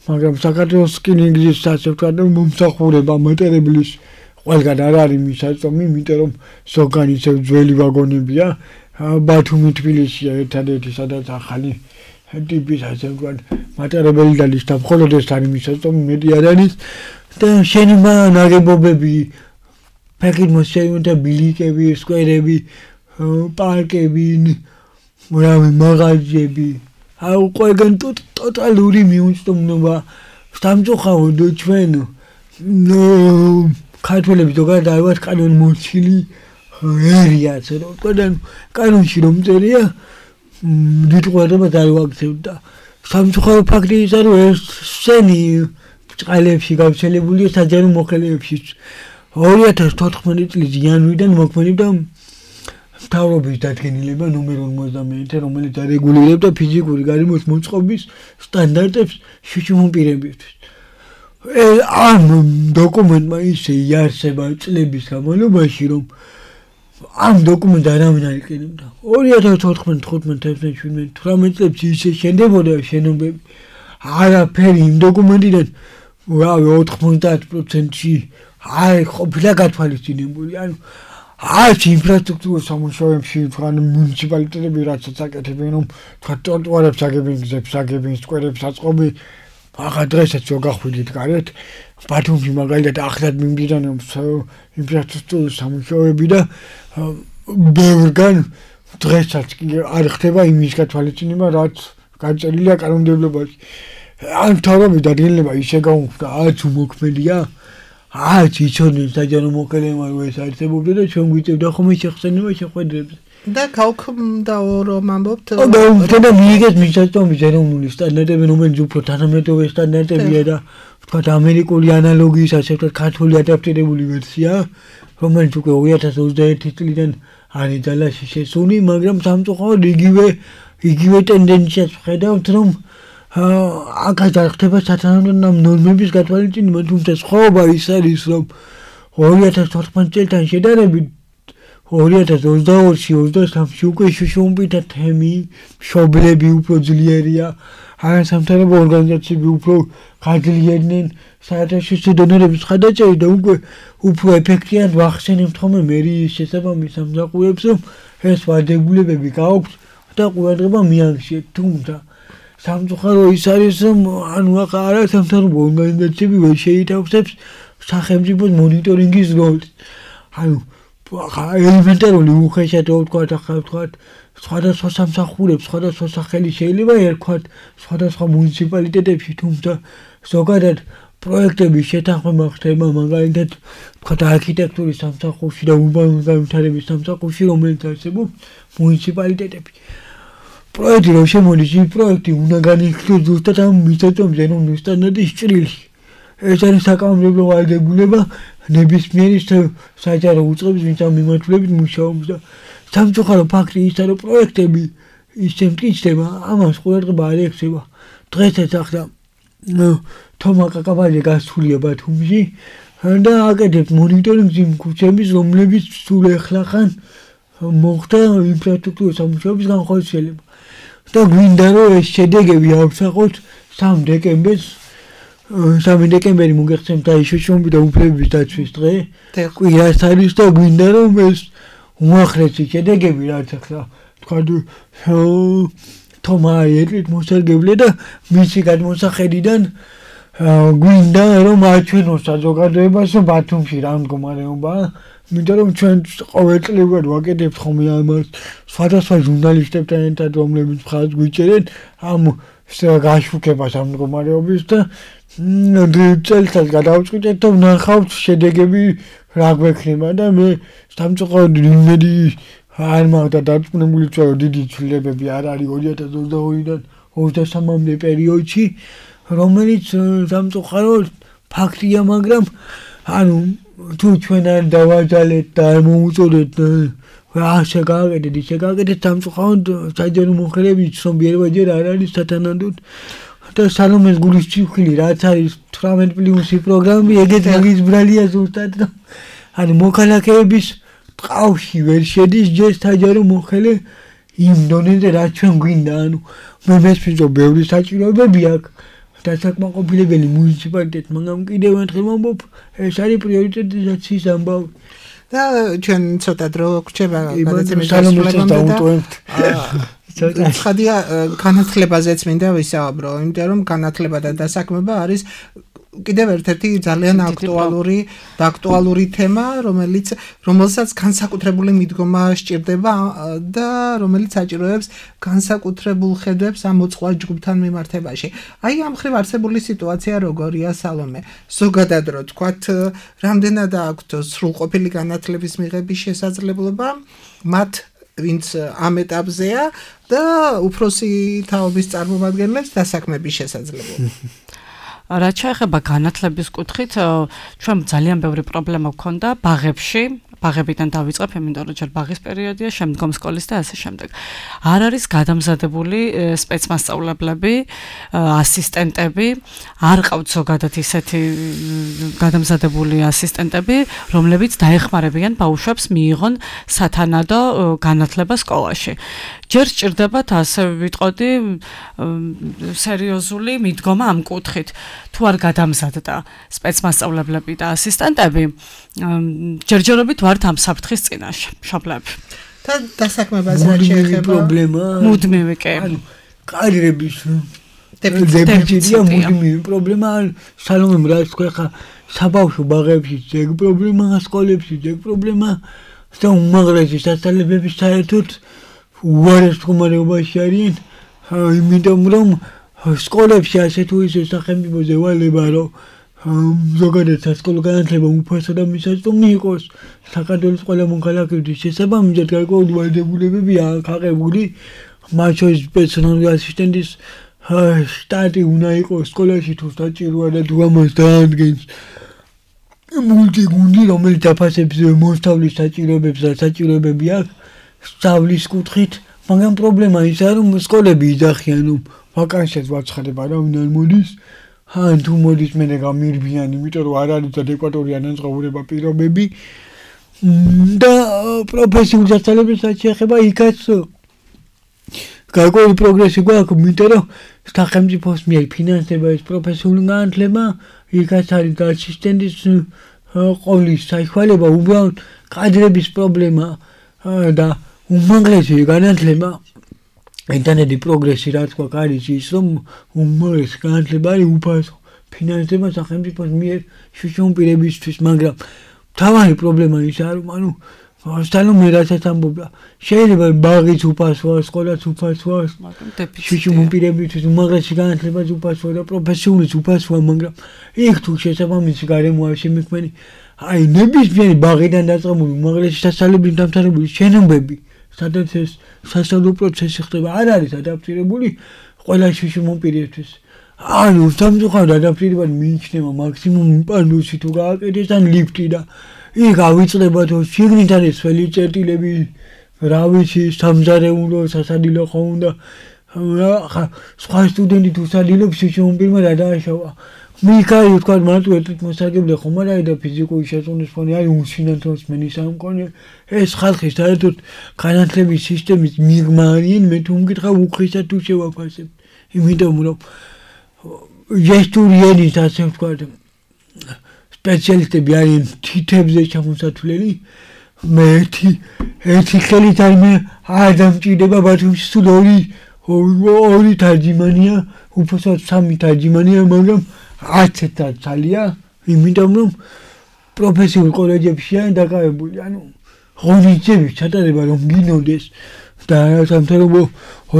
მაგრამ საქართველოს რკინიგზის, ასე ვთქვათ, მომსახურება მატარებლის ყველგან არ არის მისაწვდომი, იმიტომ რომ ზოგან ისევ ძველი ვაგონებია. ბათუმი, თბილისია ერთადერთი, სადაც ახალი ტიპის, ასე ვთქვათ, მატარებელი დადის და მხოლოდ ეს არის მისაწვდომი, მეტი არ არის. და შენობა ნაგებობები, ფეხით ბილიკები, სკვერები, პარკები, მაღაზიები, ყველგან ტოტალური მიუწვდომობა. სამწუხაროდ ჩვენ ქართველები ზოგადად არ ვართ კანონმორჩილი ერია, ასე რომ ვთქვათ, კანონში რომ წერია დიდ ყურადღებას არ ვაქცევთ და სამწუხარო ფაქტი ის არის, რომ ეს სცენი წყალებში გავრცელებულია საჯარო მოხელეებში. 2014 წლის იანვრიდან მოქმედებდა მთავრობის დადგენილება ნომერ 51, რომელიც არეგულირებდა ფიზიკური გარემოს მოწყობის სტანდარტებს შუშუმპირებისთვის. ამ დოკუმენტმა ისე იარსება წლების განმავლობაში, რომ ამ დოკუმენტს არავინ არ იყენებდა. 2014, 15, 16, 18 წლებში ისე შენდებოდა შენობები. არაფერი იმ დოკუმენტიდან 90%-ში არ ყოფილა გათვალისწინებული. ანუ არც ინფრასტრუქტურის სამუშაოებში თქვენ მუნიციპალიტეტები რაც აკეთებენ, რომ თქვა ტროტუარებს აგებენ, გზებს აგებენ, სკვერებს აწყობენ, ახლა დღესაც რო გახვიდით გარეთ ბათუმში მაგალითად ახლად მიმდინარეობს ინფრასტრუქტურის სამუშაოები და ბევრგან დღესაც არ ხდება იმის გათვალისწინება რაც გაწერილია კანონმდებლობაში ან თავი დადგენილება ისე გაუხდა არც უმოქმედია არც იცოდნენ საჯარო მოქალაქეებმა რომ ეს არსებობდა და ჩვენ გვიწევდა ხოლმე შეხსენება შეხვედრებზე და გავქმდაო რომ ამბობთ და მიიღეს მისაწვდომის ეროვნული სტანდარტები რომელიც უფრო თანამედროვე სტანდარტებია და ვთქვათ ამერიკული ანალოგიის ასე ვთქვათ ქართული ადაპტირებული ვერსია რომელიც უკვე 2021 წლიდან არის ძალაში შესული მაგრამ სამწუხაროდ იგივე ტენდენციას ვხედავთ რომ აქაც არ ხდება სათანადო ნორმების გათვალისწინება თუმცა სხვაობა ის არის რომ 2014 წელთან შედარებით 2022-23-ში უკვე შუშუმბითა თემი, მშობლები უფრო ძლიერია, არასამთავრობო ორგანიზაციები უფრო გაძლიერდნენ საერთაშორისო დონორების ხადაჭერით და უკვე უფრო ეფექტიანად ვახსენებთ ხოლმე მერიის შესაბამის სამსახურებს, რომ ეს ვარდებულებები გააქვთ და ყურადღება მიაღწიეთ. თუმცა სამწუხარო ის არის, რომ ანუ არასამთავრობო ორგანიზაციები ვერ შეითავსებს სახელმწიფოს მონიტორინგის როლს. ანუ ელემენტარული უხეშად ვთქვათ, ახლა ვთქვათ, სხვადასხვა სამსახურებს, სხვადასხვა სახელი შეიძლება ერქვათ სხვადასხვა მუნიციპალიტეტებში, თუმცა ზოგადად პროექტების შეთანხმება ხდება მაგალითად ვთქვათ არქიტექტურის სამსახურში და ურბანული განვითარების სამსახურში, რომელიც არსებობს მუნიციპალიტეტებში. პროექტი რომ შემოდის, ის პროექტი უნდა განიხილოს ზუსტად ამ მისაწვდომის ეროვნული სტანდარტის ჭრილში. ეს არის საკანონმდებლო ვალდებულება ნებისმიერი საჯარო უწყების ვინც ამ მიმართულებით მუშაობს და სამწუხარო ფაქტი ისაა რომ პროექტები ისე მტკიცდება ამას ყურადღება არ ექცევა დღესაც ახლა თომა კაკაბაძე გასულია ბათუმში და აკეთებს მონიტორინგს იმ ქუჩების რომლებიც სულ ახლახან მოხდა ინფრასტრუქტურის სამუშაოების განხორციელება და გვინდა რომ ეს შედეგები ავსახოთ 3 დეკემბერი მოგეხსენებთ აი შუშუმბი და უფლებების დაცვის დღე კვირას არის და გვინდა რომ ეს უახლესი შედეგები რაც ახლა თქვათ თომა ეტლით მოსარგებლე და მისი გადმოსახედიდან გვინდა რომ აჩვენოს საზოგადოებას ბათუმში რა მდგომარეობაა მინდა რომ ჩვენ ყოველწლიურად ვაკეთებთ ხოლმე ამას სხვადასხვა ჟურნალისტებთან ერთად რომლებიც მხარს გვიჭერენ ამ გაშუქებას ამ მდგომარეობის და წელიწადს გადავწყვიტეთ და ვნახავთ შედეგები რა გვექნება და მე სამწუხაროდ იმედი არ მაქვს და დარწმუნებული ვარ რომ დიდი ცვლილებები არ არის 2022-დან 23-მდე პერიოდში რომელიც სამწუხაროდ ფაქტია მაგრამ ანუ თუ ჩვენ არ დავაძალეთ და არ მოუწოდეთ ასე გააკეთეთ ისე გააკეთეთ სამწუხაროდ საჯარო მოხელეები ცნობიერება ჯერ არ არის სათანადოდ და სალომეს გულის ჭიხვილი რაც არის 18+ პროგრამები ეგეთ მაგის ბრალია ზუსტად და ანუ მოქალაქეების ტყავში ვერ შედის ჯერ საჯარო მოხელე იმ დონეზე რაც ჩვენ გვინდა ანუ მე მესმის რომ ბევრი საჭიროებები აქვს დასაკმაყოფილებელი მუნიციპალიტეტ მაგრამ კიდევ ერთხელ ვამბობ ეს არის პრიორიტეტიზაციის ამბავი და ჩვენ ცოტა დრო გვჭირდება გადაცემის დასრულებამდე და ხადია განათლებაზეც მინდა ვისაუბრო იმიტომ რომ განათლება და დასაქმება არის კიდევ ერთ-ერთი ძალიან აქტუალური თემა რომელსაც განსაკუთრებული მიდგომა სჭირდება და რომელიც საჭიროებს განსაკუთრებულ ხედვებს ამ მოწყვალ ჯგუფთან მიმართებაში. აი ამ ხრივ არსებული სიტუაცია როგორია სალომე? ზოგადად რო თქვათ, რამდენად აქვთ სრულყოფილი განათლების მიღების შესაძლებლობა მათ ვინც ამ ეტაპზეა და უფროსი თაობის წარმომადგენლებს დასაქმების შესაძლებლობა. რაც შეეხება განათლების კუთხით, ჩვენ ძალიან ბევრი პრობლემა გვქონდა ბაღებში, ბაღებიდან დავიწყებ, იმიტომ რომ ჯერ ბაღის პერიოდია, შემდგომ სკოლის და ასე შემდეგ. არ არის გადამზადებული სპეცმასწავლებლები, ასისტენტები, არ ყავთ ზოგადად ისეთი გადამზადებული ასისტენტები, რომლებიც დაეხმარებიან ბავშვებს მიიღონ სათანადო განათლება სკოლაში. ჯერ სჭირდებათ ასე ვიტყოდი სერიოზული მიდგომა ამ კუთხით. თუ არ გადამზადდა სპეცმასწავლებლები და ასისტენტები, ჯერჯერობით ვართ ამ საფრთხის წინაშე, მშობლები. და დასაქმებას რა შეეხება? პრობლემა. მუდმივი კი. ანუ კადრების დეფიციტია მუდმივი პრობლემა სალომემ რაც თქვა ხა საბავშვო ბაღებში ეგ პრობლემა სკოლებში ეგ პრობლემა და უმაღლესი სასწავლებელები საერთოდ უარეს მდგომარეობაში არიან იმიტომ რომ სკოლებში ასე თუ ისე სახელმწიფოზე ვალება რომ ზოგადად სასკოლო განათლება უფასო და მისაწვდომი იყოს საქართველოს ყველა მოქალაქეების შესაბამისად გარკვეული ვალდებულებებია აღებული მათ შორის პერსონალური ასისტენტის შტატი უნდა იყოს სკოლაში თუ საჭიროა და თუ ამას დაადგენს მულტიგუნდი რომელიც დაფასებს მოსწავლის საჭიროებებს და საჭიროებები აქვს სწავლის კუთხით მაგრამ პრობლემა ისაა რომ სკოლები იძახიან რომ ვაკანსიას ვაცხადება რა ვინ არ მოდის ან თუ მოდის მე გამირბიან იმიტომ რომ არ არის ადეკვატური ანაზღაურება პირობები და პროფესიულ სასწავლებელსაც შეეხება იქაც გარკვეული პროგრესი გვაქვს იმიტომ რომ სახელმწიფოს მიერ ფინანსდება ეს პროფესიული განათლება იქაც არის ასისტენტის ყოლის საშუალება უბრალოდ კადრების პრობლემა და უმაღლესი განათლება ინტერნეტი პროგრესი რაც გვაქვს არის ის რომ უმაღლესი განათლება არის უფასო ფინანსდება სახელმწიფოს მიერ შუშუმ პირებისთვის მაგრამ თავარი პრობლემა ისაა რომ ანუ სტალომე რასაც ამბობდა შეიძლება ბაღიც უფასოა სკოლაც უფასოა შუშუმ პირებისთვის უმაღლესი განათლებაც უფასოა და პროფესიულიც უფასოა მაგრამ იქ თუ შესაბამისი გარემოა შემიქმნილი აი ნებისმიერი ბაღიდან დაწყებული უმაღლესი სასწავლებელი დამთავრებული შენობები სადაც ეს სასწავლო პროცესი ხდება არ არის ადაპტირებული ყველა შუშუმ პირებისთვის ანუ სამწუხაროდ ადაპტირება მიიჩნევა მაქსიმუმ პანდუსი თუ გააკეთეს ან ლიფტი და იქ ავიწყდება თუ შიგნით არის სველი წერტილები რა ვიცი სამზარეულო სასადილო ხო უნდა სხვა სტუდენტი თუ სადილობს შუშუმ პირმა რა დააშავა მიქაი თქვა მარტო ერთ მოსაგებია ხომ არა და ფიზიკური შეწყვეტის ფონი არის უსინათოს მენის ამ კონე ეს ხალხი საერთოდ განათლების სისტემის მიღმა არიან მე თუ მკითხავ უხისად თუ შევაფასებ იმიტომ რომ ჟესტურიენის ასე ვთქვა სპეციალისტები არიან თითებზე ჩამოსათვლელი მე ერთი ხელით არ მე არ დამჭირდება ბათუმში სულ ორი თარჯიმანია უბრალოდ სამი თარჯიმანია მაგრამ აცეთა ძალია იმიტომ რომ პროფესიულ კოლეჯებშია დაკავებული ანუ ღონისძიების ჩატარება რომ გინოდეს და სამთავრობო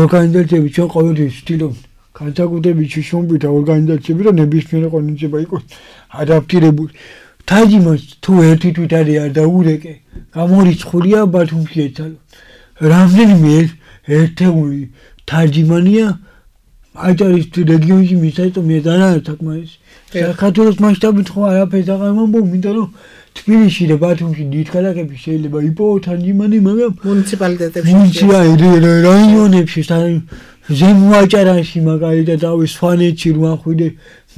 ორგანიზაციები ჩვენ ყოველთვის ვცდილობთ განსაკუთრებით შუშუმპირთა ორგანიზაციები რომ ნებისმიერი ღონისძიება იყოს ადაპტირებული თარჯიმანს თუ ერთი თვით არის არ დაურეკე გამორიცხულია ბათუმში ეცალო რამდენიმე ერთეული თარჯიმანია აჭარის რეგიონში მისაწვდომია და რა საკმარისი საქართველოს მასშტაბით ხო არაფერს აღარ მომბობ იმიტომ რომ თბილისში და ბათუმში დიდ ქალაქებში შეიძლება იპოვო თარჯიმანი მაგრამ მუნიციპალიტეტებში რაიონებში ზემო აჭარაში მაგალითად ავი სვანეთში რო ახვიდე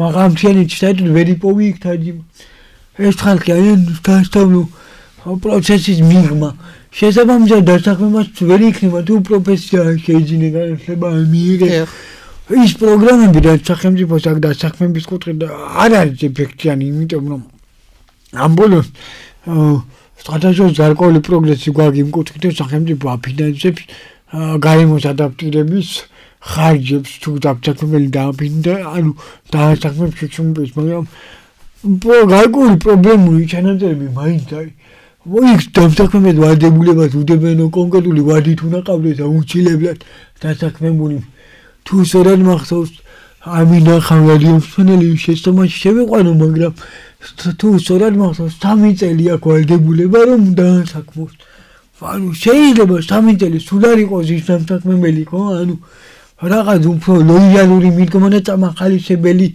მაღალმთიანეთში საერთოდ ვერ იპოვი იქ თარჯიმანი ეს ხალხი არის დასწავლო პროცესის მიღმა შესაბამისად დასაქმებას ვერ იქნება თუ პროფესია შეიძლება განათლება მიიღე ის პროგრამები და სახელმწიფოს აქ დასაქმების კუთხით არ არის ეფექტიანი იმიტომ რომ ამ ბოლოს სტატუსის გარკვეული პროგრესი გვაქვს იმ კუთხით რომ სახელმწიფო აფინანსებს გარემოს ადაპტირების ხარჯებს თუ დასაქმებელი დააფინდა ანუ დასაქმებს შუშუმპირს მაგრამ გარკვეული პრობლემური ჩანაწერები მაინც არის იქ დასაქმებად ვალდებულებას უდებენ კონკრეტული ვადით უნდა ყავდეს აუცილებლად დასაქმებული თუ სწორად მახსოვს ამინა ხალხი შესწომაში შევიყვანო მაგრამ თუ სწორად მახსოვს 3 წელი აქვს ვალდებულება რომ დაასაქმოს ანუ შეიძლება 3 წელი სულ არ იყოს ის დასაქმებელი ხო ანუ რაღაც უფრო ლოიალური მიდგომა და წამახალისებელი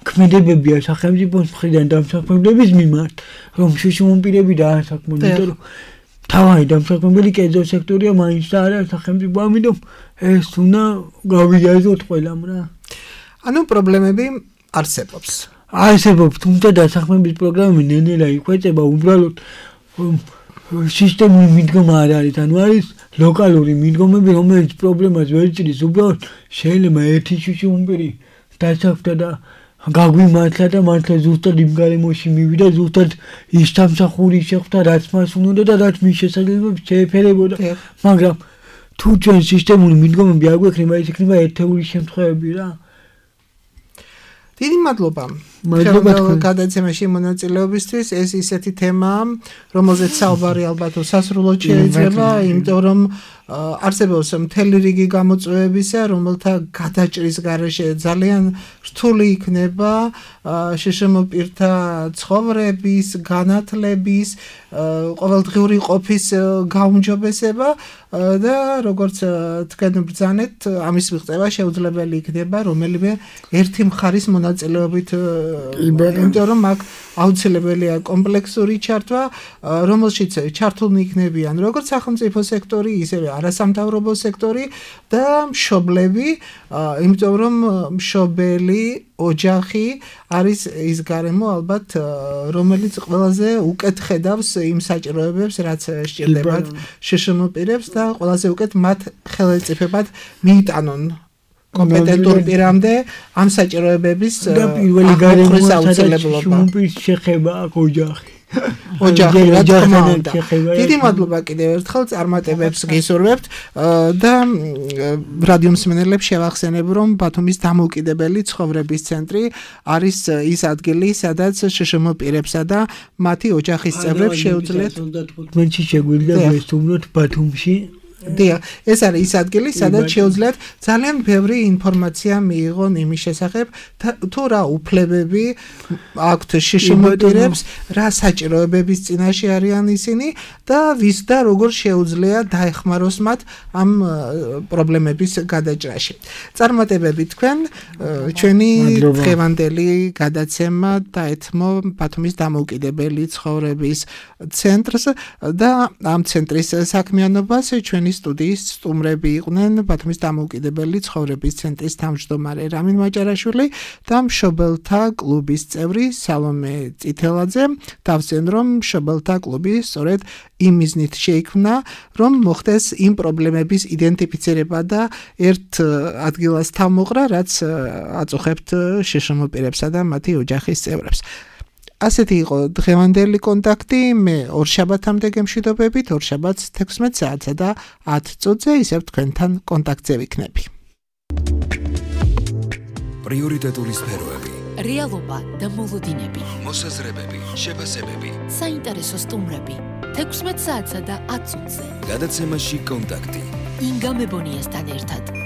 ქმედებებია სახელმწიფოს მხრიდან დასაქმებლების მიმართ რომ შუშუმ პირები დაასაქმონ იმიტომ რომ თავი დასაქმებელი კერძო სექტორია მაინც და არა სახელმწიფო ამიტომ ეს უნდა გავიაზროთ ყველამ რა ანუ პრობლემები არსებობს თუმცა დასაქმების პროგრამები ნენელა იხვეწება უბრალოდ სისტემური მიდგომა არ არის ანუ არის ლოკალური მიდგომები რომელიც პრობლემას ვერ ჭრის უბრალოდ შეიძლება ერთი შუშუმ პირი დასაქმდა და გაგვიმართლა და მართლა ზუსტად იმ გარემოში მივიდა ზუსტად ის სამსახური შეხვდა რაც მას უნდა და რაც მის შესაძლებლობებს შეეფერებოდა მაგრამ თუ ჩვენ სისტემური მიდგომები არ გვექნება ის იქნება ერთეული შემთხვევები რა დიდი მადლობა. მადლობა თქვენ. გადაცემაში მონაწილეობისთვის. ეს ისეთი თემაა, რომელზეც საუბარი ალბათ სასრულოდ შეიძლება, იმიტომ რომ არსებობს მთელი რიგი გამოწვევებისა, რომელთა გადაჭრის გარეშე ძალიან რთული იქნება შშმ პირთა ცხოვრების, განათლების, ყოველდღიური ყოფის გაუმჯობესება და როგორც თქვენ ბრძანეთ, ამის მიღწევა შეუძლებელი იქნება რომელიმე ერთი მხარის მონაწილეობით, იმიტომ რომ აქ აუცილებელია კომპლექსური ჩართვა, რომელშიც ჩართულნი იქნებიან როგორც სახელმწიფო სექტორი, ისევე არასამთავრობო სექტორი და მშობლები, იმიტომ რომ მშობელი ოჯახი არის ის გარემო ალბათ, რომელიც ყველაზე უკეთ ხედავს იმ საჭიროებებს, რაც სჭირდებათ შშმ პირებს და ყველაზე უკეთ მათ ხელეწიფებად მიიტანონ კომპეტენტურ პირამდე ამ საჭიროებების და პირველი გარემო საუცილებლობა შეხება ოჯახი. ოჯახი რა თქმა უნდა. დიდი მადლობა კიდევ ერთხელ წარმატებებს გისურვებთ და რადიო მსმენელებს შევახსენებ, რომ ბათუმის დამოუკიდებელი ცხოვრების ცენტრი არის ის ადგილი, სადაც შშმ პირებსა და მათი ოჯახის წევრებს შეუძლიათ 35-ში შეგვიძლია ვესტუმროთ ბათუმში. დიახ, ეს არის ის ადგილი, სადაც შეუძლიათ ძალიან ბევრი ინფორმაცია მიიღონ იმის შესახებ, თუ რა უფლებები აქვთ შშმ პირებს, რა საჭიროებების წინაშე არიან ისინი და ვის და როგორ შეუძლია დაეხმაროს მათ ამ პრობლემების გადაჭრაში. წარმატებები თქვენ, ჩვენი დღევანდელი გადაცემა დაეთმო ბათუმის დამოუკიდებელი ცხოვრების ცენტრს და ამ ცენტრის საქმიანობას ჩვენი სტუდიის სტუმრები იყვნენ ბათუმის დამოუკიდებელი ცხოვრების ცენტრის თავმჯდომარე რამინ მაჭარაშვილი და მშობელთა კლუბის წევრი სალომე წითელაძე. დავსვენ რომ მშობელთა კლუბი სწორედ იმ მიზნით შეიქმნა, რომ მოხდეს იმ პრობლემების იდენტიფიცირება და ერთ ადგილას თავმოყრა, რაც აწუხებთ შშმ პირებსა და მათი ოჯახის წევრებს. ასეთი იყო დღევანდელი კონტაქტი. მე ორშაბათამდე გემშვიდობებით, ორშაბათს 16 საათსა და 10 წუთზე ისევ თქვენთან კონტაქტზე ვიქნები. პრიორიტეტული სფეროები, რეალობა და მოლოდინები, მოსაზრებები, შეფასებები, საინტერესო სტუმრები 16 საათსა და 10 წუთზე. გადაცემაში კონტაქტი. ინგა მებონიასთან ერთად.